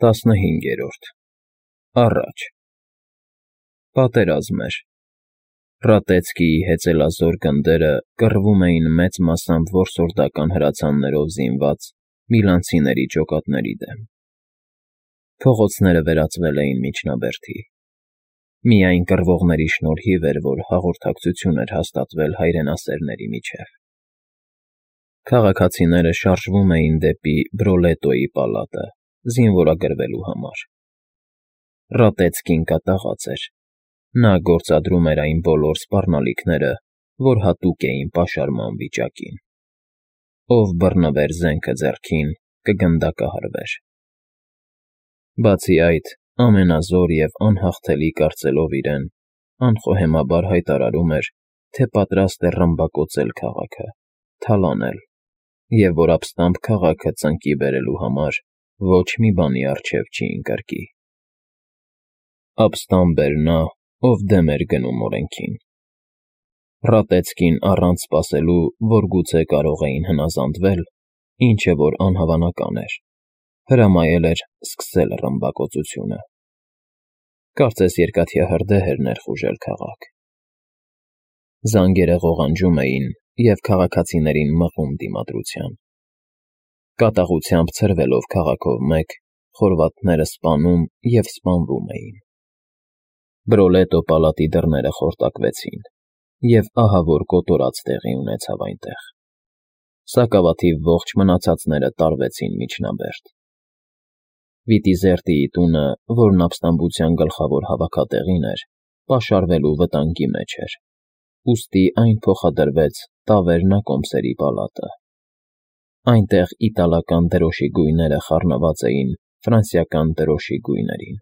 15-րդ Առաջ Պատերազմ էր։ Ռատեցկիի հեծելազոր գնդերը կռվում էին մեծ մասամբ որսորդական հրացաններով զինված միլանցիների ջոկատների դեմ։ Փողոցները վերածվել էին միջնաբերդի։ Միայն կռվողների շնորհիվ էր, որ հաղորդակցություն էր հաստատվել հայրենասերների միջև։ Քաղաքացիները շարժվում էին դեպի Բրոլետոյի պալատը, զինվորագրվելու համար։ Ռատեցկին կատաղած էր։ Նա գործադրում էր այն բոլոր սպառնալիքները, որ հատուկ էին պաշարման վիճակին։ Ով բռնվեր զենքը ձեռքին, կգնդակահարվեր։ Բացի այդ, ամենազոր և անհաղթելի կարծելով իրեն, անխոհեմաբար հայտարարում էր, թե պատրաստ է ռմբակոծել քաղաքը, թալանել, և որ ապստամբ քաղաքը ծնկի բերելու համար ոչ մի բանի առջև չի ընկրկի։ Ապստամբ էր նա, ով դեմ էր գնում օրենքին։ Ռատեցկին առանց սպասելու, որ գուցե կարող էին հնազանդվել, ինչը որ անհավանական էր, հրամայել էր սկսել ռմբակոծությունը։ Կարծես երկաթյա հրդեհ էր ներխուժել քաղաք։ Զանգերը ղողանջում էին և քաղաքացիներին մղում դիմադրության։ Կատաղությամբ ցրվելով քաղաքով մեկ, խորվաթները սպանում և սպանվում էին։ Բրոլետո պալատի դռները խորտակվեցին, և ահավոր կոտորած տեղի ունեցավ այնտեղ։ Սակավաթիվ ողջ մնացածները տարվեցին միջնաբերդ։ Վիտիզերտիի տունը, որն ապստամբության գլխավոր հավաքատեղին էր, պաշարվելու վտանգի մեջ էր, ուստի այն փոխադրվեց տավերնակոմսերի պալատը։ Այնտեղ իտալական դրոշի գույները խառնված էին ֆրանսիական դրոշի գույներին։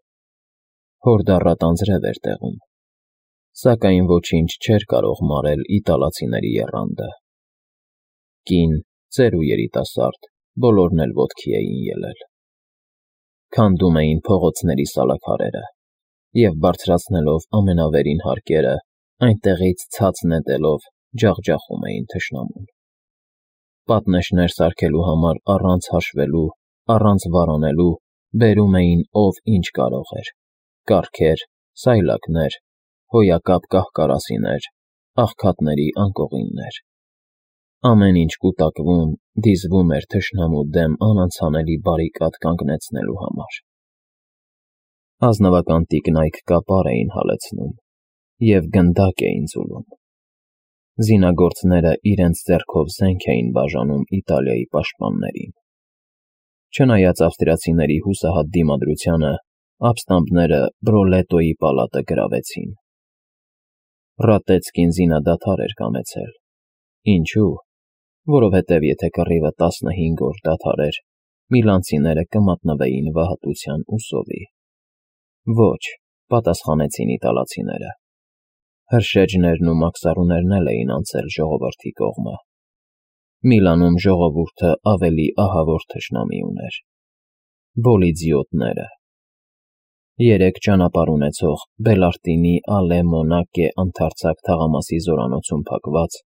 Հորդառատ անձրև էր տեղում, սակայն ոչինչ չէր կարող մարել իտալացիների եռանդը։ Կին, ծեր ու երիտասարդ, բոլորն էլ ոտքի էին ելել։ Քանդում էին փողոցների սալաքարերը և, բարձրացնելով ամենավերին հարկերը, այնտեղից ցած նետելով ջախջախում էին թշնամուն։ Պատնեշներ սարքելու համար առանց հաշվելու, առանց վարանելու բերում էին ով ինչ կարող էր՝ կառքեր, սայլակներ, հոյակապ կահ֊կարասիներ, աղքատների անկողիններ։ Ամեն ինչ կուտակվում, դիզվում էր թշնամու դեմ անանցանելի բարիկադ կանգնեցնելու համար։ Ազնվական տիկնայք կապար էին հալեցնում և գնդակ էին ձուլում։ Զինագործները իրենց ձեռքով զենք էին բաժանում Իտալիայի պաշտպաններին։ Չնայած ավստրիացիների հուսահատ դիմադրությանը, ապստամբները Բրոլետոյի պալատը գրավեցին։ Ռատեցկին զինադադար էր կամեցել։ Ինչու՞։ Որովհետև եթե կռիվը 15 օր դադարեր, միլանցիները կմատնվեին վհատության ու սովի։ Ոչ, պատասխանեցին իտալացիները։ Հրշեջներն ու մաքսառուներն էլ էին անցել ժողովրդի կողմը։ Միլանում ժողովուրդը ավելի ահավոր թշնամի ուներ՝ բոլիձիոտները։ 3 ճանապարհ ունեցող Բելարտինի Ալե Մոնակե ընդարձակ թաղամասի զորանոցում փակված,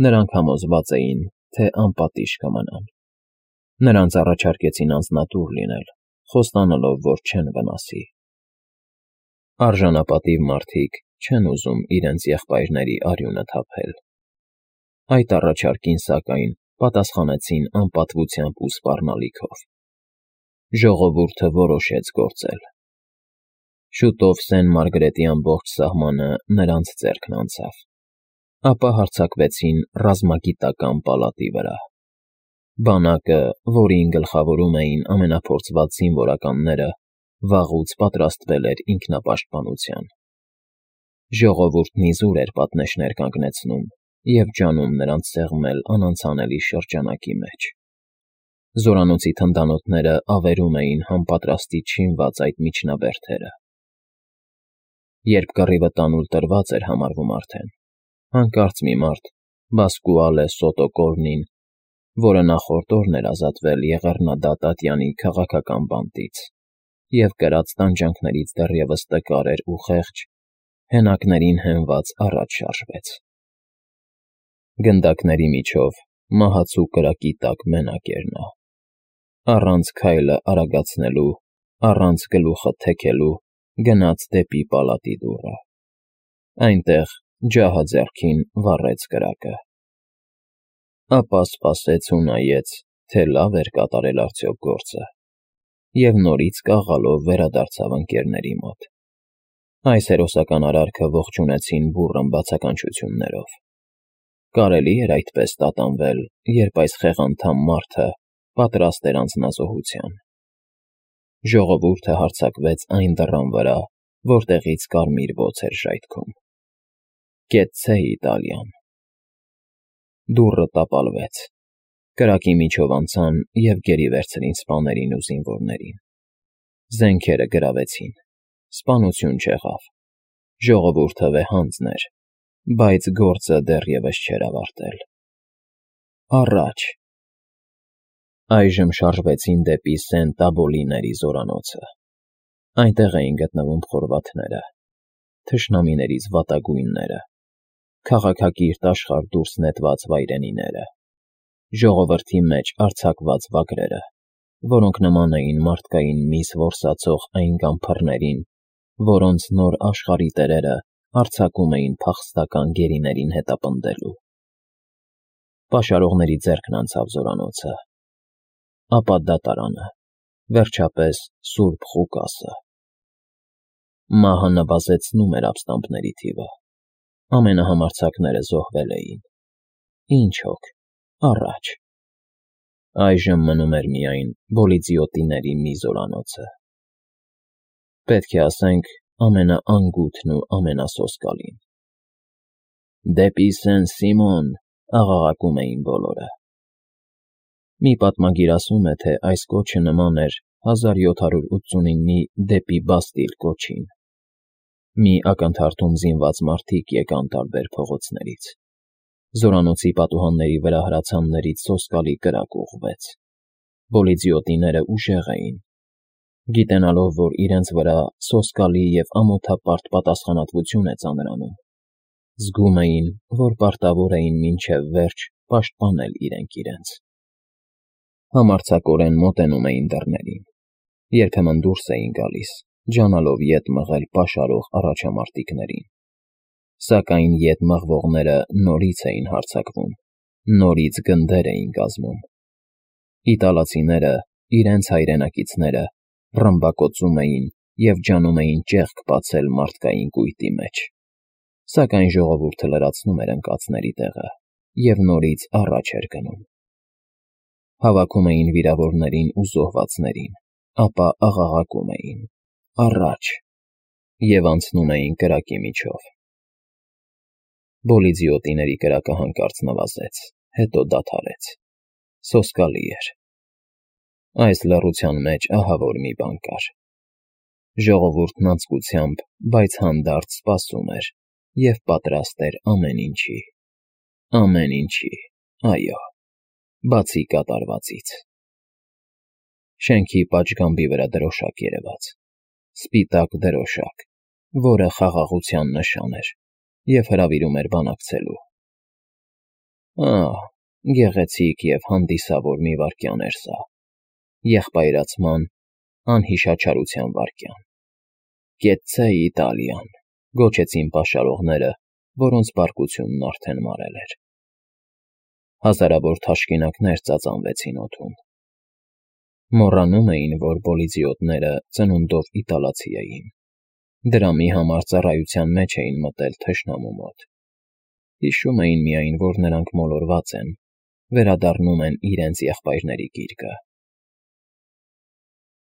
նրանք համոզված էին, թե անպատիժ կմնան։ Նրանց առաջարկեցին անձնատուր լինել, խոստանալով, որ չեն վնասի։ Արժանապատիվ մարդիկ չեն ուզում իրենց եղբայրների արյունը թափել։ Այդ առաջարկին, սակայն, պատասխանեցին անպատվությամբ ու սպառնալիքով։ Ժողովուրդը որոշեց գործել։ Շուտով Սեն֊Մարգրետի ամբողջ սահմանը նրանց ձեռքն անցավ։ Ապա հարձակվեցին ռազմագիտական պալատի վրա։ Բանակը, որին գլխավորում էին ամենափորձված զինվորականները, վաղուց պատրաստվել էր ինքնապաշտպանության։ Ժողովուրդն իզուր էր պատնեշներ կանգնեցնում և ջանում նրանց սեղմել անանցանելի շրջանակի մեջ։ Զորանոցի թնդանոթները ավերում էին համապատրաստի չինված այդ միջնաբերդերը։ Երբ կռիվը տանուլ տրված էր համարվում արդեն, հանկարծ մի մարդ, Բասկուալե Սոտո Կորնին, որը նախորդ օրն էր ազատվել Եղեռնադա Տատյանի քաղաքական բանտից և կրած տանջանքներից դեռևս տկար էր ու խեղճ, հենակներին հենված առաջ շարժվեց։ Գնդակների միջով մահացու կրակի տակ մենակ էր նա։ Առանց քայլը արագացնելու առանց գլուխը թեքելու գնաց դեպի պալատի դուռը։ Այնտեղ ջահը ձեռքին վառեց կրակը։ Ապա սպասեց ու նայեց, թե լավ էր կատարել արդյոք գործը, և նորից կաղալով վերադարձավ ընկերների մոտ։ Այս հերոսական արարքը ողջունեցին բուռն բացականչություններով։ Կարելի էր այդպես տատանվել, երբ այս խեղանդամ մարդը պատրաստ էր անձնազոհության։ Ժողովուրդը հարձակվեց այն դռան վրա, որտեղից կարմիր բոց էր ժայթքում։ Կեցցե Իտալիան։ Դուռը տապալվեց։ Կրակի միջով անցան և գերի վերցրին սպաներին ու զինվորներին։ Զենքերը գրավեցին։ Սպանություն չեղավ։ Ժողովուրդը վեհանձն էր, բայց գործը դեռևս չէր ավարտել։ Առաջ։ Այժմ շարժվեցին դեպի Սենտ-Աբոլիների զորանոցը։ Այնտեղ էին գտնվում խորվաթները, թշնամիներից վատագույնները, քաղաքակիրթ աշխարհ դուրս նետված վայրենիները, ժողովրդի մեջ արձակված վագրերը, որոնք նման էին մարդկային միս որսացող այն գամփռներին, որոնց նոր աշխարհի տերերը արձակում էին փախստական գերիներին հետապնդելու։ Պաշարողների ձեռքն անցավ զորանոցը, ապա դատարանը, վերջապես Սուրբ Ղուկասը։ Մահը նվազեցնում էր ապստամբների թիվը։ Ամենահամարձակները զոհվել էին։ Ինչ հոգ, առաջ։ Այժմ մնում էր միայն Բոլիձիոտիների մի զորանոցը։ Պետք է ասենք ամենաանգութն ու ամենասոսկալին։ Դեպի Սեն-Սիմոն, աղաղակում էին բոլորը։ Մի պատմագիր ասում է, թե այս կոչը նման էր 1789-ի դեպի Բաստիլ կոչին։ Մի ակնթարթում զինված մարդիկ եկան տարբեր փողոցներից։ Զորանոցի պատուհանների վրա հրացաններից սոսկալի կրակ ուղղվեց։ Բոլիձիոտիները ուժեղ էին։ Գիտենալով, որ իրենց վրա սոսկալի և ամոթապարտ պատասխանատվություն է ծանրանում, զգում էին, որ պարտավոր էին մինչև վերջ պաշտպանել իրենց։ Համարձակորեն մոտենում էին դռներին, երբեմն դուրս էին գալիս, ջանալով ետ մղել պաշարող առաջամարտիկներին։ Սակայն ետ մղվողները նորից էին հարձակվում, նորից գնդեր էին կազմում։ Իտալացիները, իրենց հայրենակիցները, ռմբակոծում էին և ջանում էին ճեղք բացել մարդկային կույտի մեջ։ Սակայն ժողովուրդը լրացնում էր ընկածների տեղը և նորից առաջ էր գնում։ Հավաքում էին վիրավորներին ու զոհվածներին, ապա աղաղակում էին. «Առաջ!» և անցնում էին կրակի միջով։ Բոլիձիոտիների կրակը հանկարծ նվազեց, հետո դադարեց։ Սոսկալի էր։ Այս լռության մեջ ահավոր մի բան կար։ Ժողովուրդն անձկությամբ, բայց հանդարտ սպասում էր և պատրաստ էր ամեն ինչի, այո, բացի կատարվածից։ Շենքի պատշգամբի վրա դրոշակ երևաց։ Սպիտակ դրոշակ, որը խաղաղության նշան էր և հրավիրում էր բանակցելու։ Գեղեցիկ և հանդիսավոր մի վայրկյան էր սա։ Եղբայրացման, անհիշաչարության վայրկյան։ «Կեցցե Իտալիան», գոչեցին պաշարողները, որոնց բարկությունն արդեն մարել էր։ Հազարավոր թաշկինակներ ծածանվեցին օդում։ Մոռանում էին, որ բոլիձիոտները ծնունդով իտալացի էին։ Դրամի համար ծառայության մեջ էին մտել թշնամու մոտ։ Հիշում էին միայն, որ նրանք մոլորված են, վերադառնում են իրենց եղբայրների գիրկը։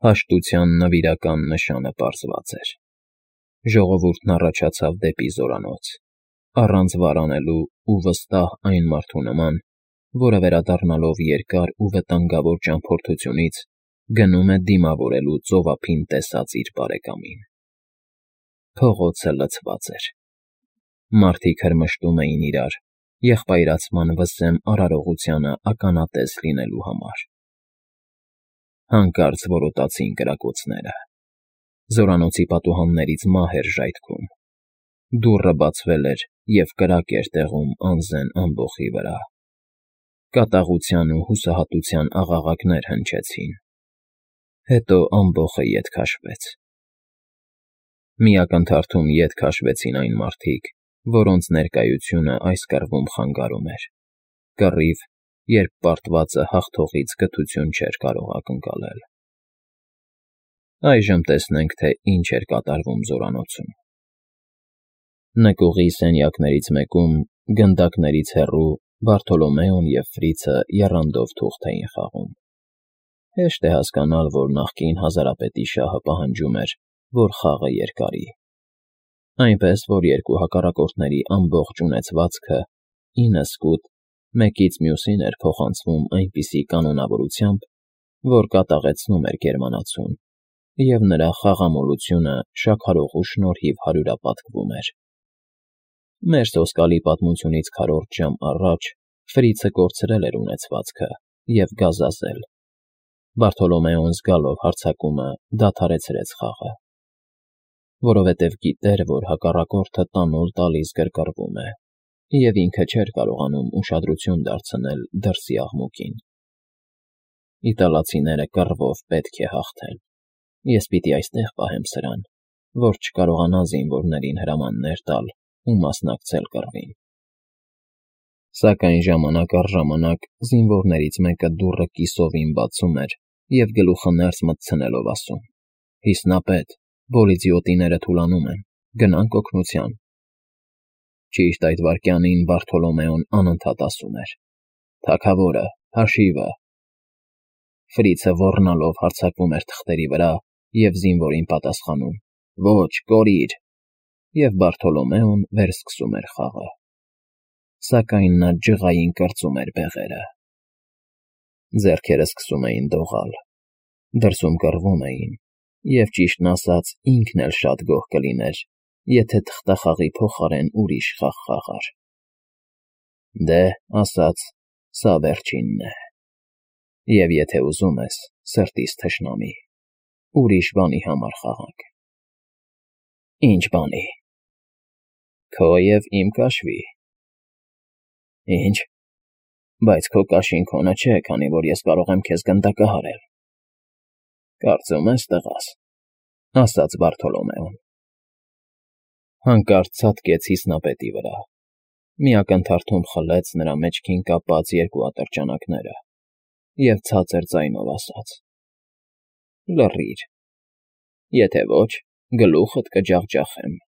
Հաշտության նվիրական նշանը պարզված էր։ Ժողովուրդն առաջացավ դեպի զորանոց, առանց վարանելու ու վստահ այն մարդու նման, որը վերադառնալով երկար ու վտանգավոր ճամփորդությունից գնում է դիմավորելու ծովափին տեսած իր բարեկամին։ Փողոցը լցված էր։ Մարդիկ հրմշտում էին իրար, եղբայրացման վսեմ արարողությանը ականատես լինելու համար։ Հանկարծ որոտացին կրակոցները։ Զորանոցի պատուհաններից մահ էր ժայթքում։ Դուռը բացվել էր և կրակ էր տեղում անզեն ամբոխի վրա։ Կատաղության ու հուսահատության աղաղակներ հնչեցին։ Հետո ամբոխը ետ քաշվեց։ Մի ակնթարթում ետ քաշվեցին այն մարդիկ, որոնց ներկայությունը այս կռվում խանգարում էր, կռիվ, երբ պարտվածը հաղթողից կթություն չէր կարող ակնկալել։ Այժմ տեսնենք, թե ինչ էր կատարվում զորանոցում։ Նկուղի սենյակներից մեկում, գնդակներից հեռու, Բարթոլոմեոն և Ֆրիցը եռանդով թուղթ էին խաղում։ Հեշտ է հասկանալ, որ նախկին հազարապետի շահը պահանջում էր, որ խաղը երկարի։ Այնպես, որ երկու հակառակորդների ամբողջ ունեցվածքը 9 սկուտ մեկից մյուսին էր փոխանցվում այնպիսի կանոնավորությամբ, որ կատաղեցնում էր գերմանացուն, և նրա խաղամոլությունը շաքարողու շնորհիվ հարյուրապատկվում էր։ Մեր սոսկալի պատմությունից քառորդ ժամ առաջ Ֆրիցը կորցրել էր ունեցվածքը և գազազել։ Բարթոլոմեոն զգալով հարձակումը դադարեցրեց խաղը, որովհետև գիտեր, որ հակառակորդը տանուլ տալիս գրկռվում է, և ինքը չէր կարողանում ուշադրություն դարձնել դրսի աղմուկին։ Իտալացիները կռվով պետք է հաղթեն։ Ես պիտի այստեղ պահեմ սրան, որ չկարողանա զինվորներին հրամաններ տալ ու մասնակցել կռվին։ Սակայն ժամանակ առ ժամանակ զինվորներից մեկը դուռը կիսովին բացում էր և գլուխը ներս մտցնելով ասում. «Հիսնապետ, բոլիձիոտիները թուլանում են, գնանք օգնության»։ Ճիշտ այդ վայրկյանին Բարթոլոմեոն անընդհատ ասում էր. «Թագավորը, հաշիվը»։ Ֆրիցը ոռնալով հարձակվում էր թղթերի վրա և զինվորին պատասխանում. «Ոչ, կորիր», և Բարթոլոմեոն վերսկսում էր խաղը։ Սակայն նա ջղային կրծում էր բեղերը։ Ձեռքերը սկսում էին դողալ։ Դրսում կռվում էին, և ճիշտն ասած ինքն էլ շատ գոհ կլիներ, եթե թղթախաղի փոխարեն ուրիշ խաղ խաղար։ Դե, ասաց, սա վերջինն է։ Եվ եթե ուզում ես, սրտիս թշնամի, ուրիշ բանի համար խաղանք։ Ինչ բանի։ Քո և իմ կաշվի։ Ինչ։ Բայց քո կաշին քոնը չէ, քանի որ ես կարող եմ քեզ գնդակահարել։ Կարծում ես, տղաս, ասաց Բարթոլոմեոն։ Հանկարծ ցատկեց հիսնապետի վրա։ Մի ակնթարթում խլեց նրա մեջքին կապած երկու ատրճանակները և ցածր ձայնով ասաց. «Լռիր, եթե ոչ, գլուխդ կջախջախեմ»։